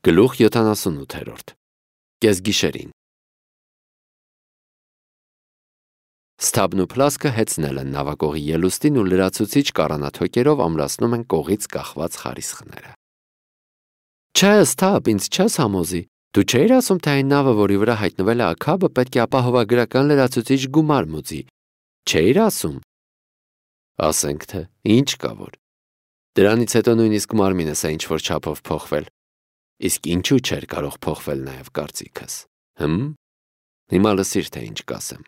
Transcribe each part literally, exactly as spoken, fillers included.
Գլուխ յոթանասունութերորդ Կեսգիշերին Սթաբն ու Փլասկը հեծնել են նավակողի ելուստին ու լրացուցիչ կառանաթոկերով ամրացնում են կողից կախված խարիսխները։ Չէ, Սթաբ, ինձ չես համոզի, դու չէիր ասում, թե այն նավը, որի վրա հայտնվել է Աքաբը, պետք է ապահովագրական լրացուցիչ գումար մուծի, չէիր ասում։ Ասենք թե, ինչ կա որ։ Դրանից հետո նույնիսկ մարմինս է ինչ-որ չափով փոխվել։ Իսկ ինչու չէր կարող փոխվել նաև կարծիքս, հմ? Հիմա լսիր, թե ինչ կասեմ։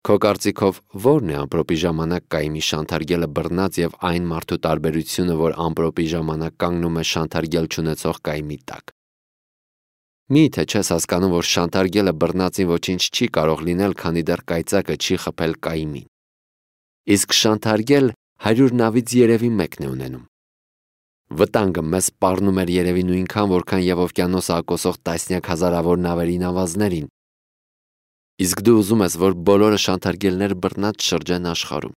Քո կարծիքով ո՞րն է ամպրոպի ժամանակ կայմի շանթարգելը բռնած եւ այն մարդու տարբերությունը, որ ամպրոպի ժամանակ կանգնում է շանթարգել չունեցող կայմի տակ։ Մի՞թե չես հասկանում, որ շանթարգելը բռնածին ոչինչ չի կարող լինել, քանի դեռ կայծակը չի խփել կայմին։ Իսկ շանթարգել հարյուր նավից երևի մեկն է ունենում։ Վտանգը մեզ սպառնում էր երևի նույնքան, որքան եւ օվկիանոսը ակոսող տասնյակ հազարավոր նավերի նավազներին։ Իսկ դու ուզում ես, որ բոլորը շանթարգելներ բռնած շրջեն աշխարհում։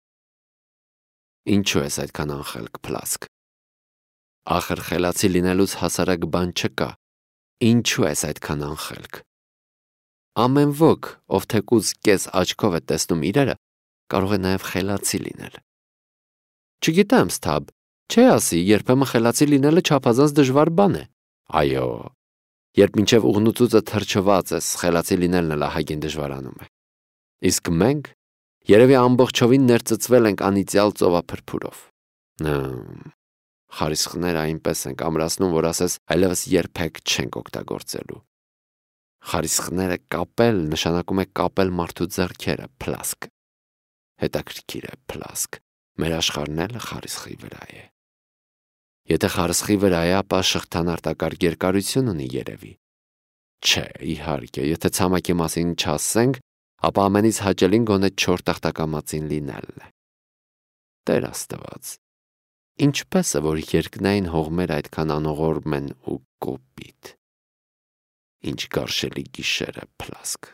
Ինչու ես այդքան անխելք, Փլասկ։ Ախր խելացի լինելուց հասարակ բան չկա։ Ինչու ես այդքան անխելք։ Ամեն ոք, ով թեկուզ կես աչքով է տեսնում իրերը, կարող է նաև խելացի լինել։ Չգիտեմ, Սթաբ, չէ ասի, երբեմն խելացի լինելը չափազանց դժվար բան է։ Այո, երբ մինչև ուղնուծուծը թրջված ես, խելացի լինելն էլ ահագին դժվարանում է։ Իսկ մենք երևի ամբողջովին ներծծվել ենք անիծյալ ծովափրփուրով։ Խարիսխները այնպես ենք ամրացնում, որ ասես այլևս երբեք չենք օգտագործելու։ Խարիսխները կապել նշանակում է կապել մարդու ձեռքերը, Փլասկ։ Հետաքրքիր է, Փլասկ, մեր աշխարհն էլ խարիսխի վրա է։ Եթե խարիսխի վրա է, ապա շղթան արտակարգ երկարություն ունի երևի։ Չէ, իհարկե, եթե ցամաքի մասին չասենք, ապա ամենից հաճելին գոնե չոր տախտակամածին լինելն է։ Տեր Աստված, ինչպես է, որ երկնային հողմեր այդքան անողորմ են ու կոպիտ։ Ինչ գարշելի գիշեր է, Փլասկ։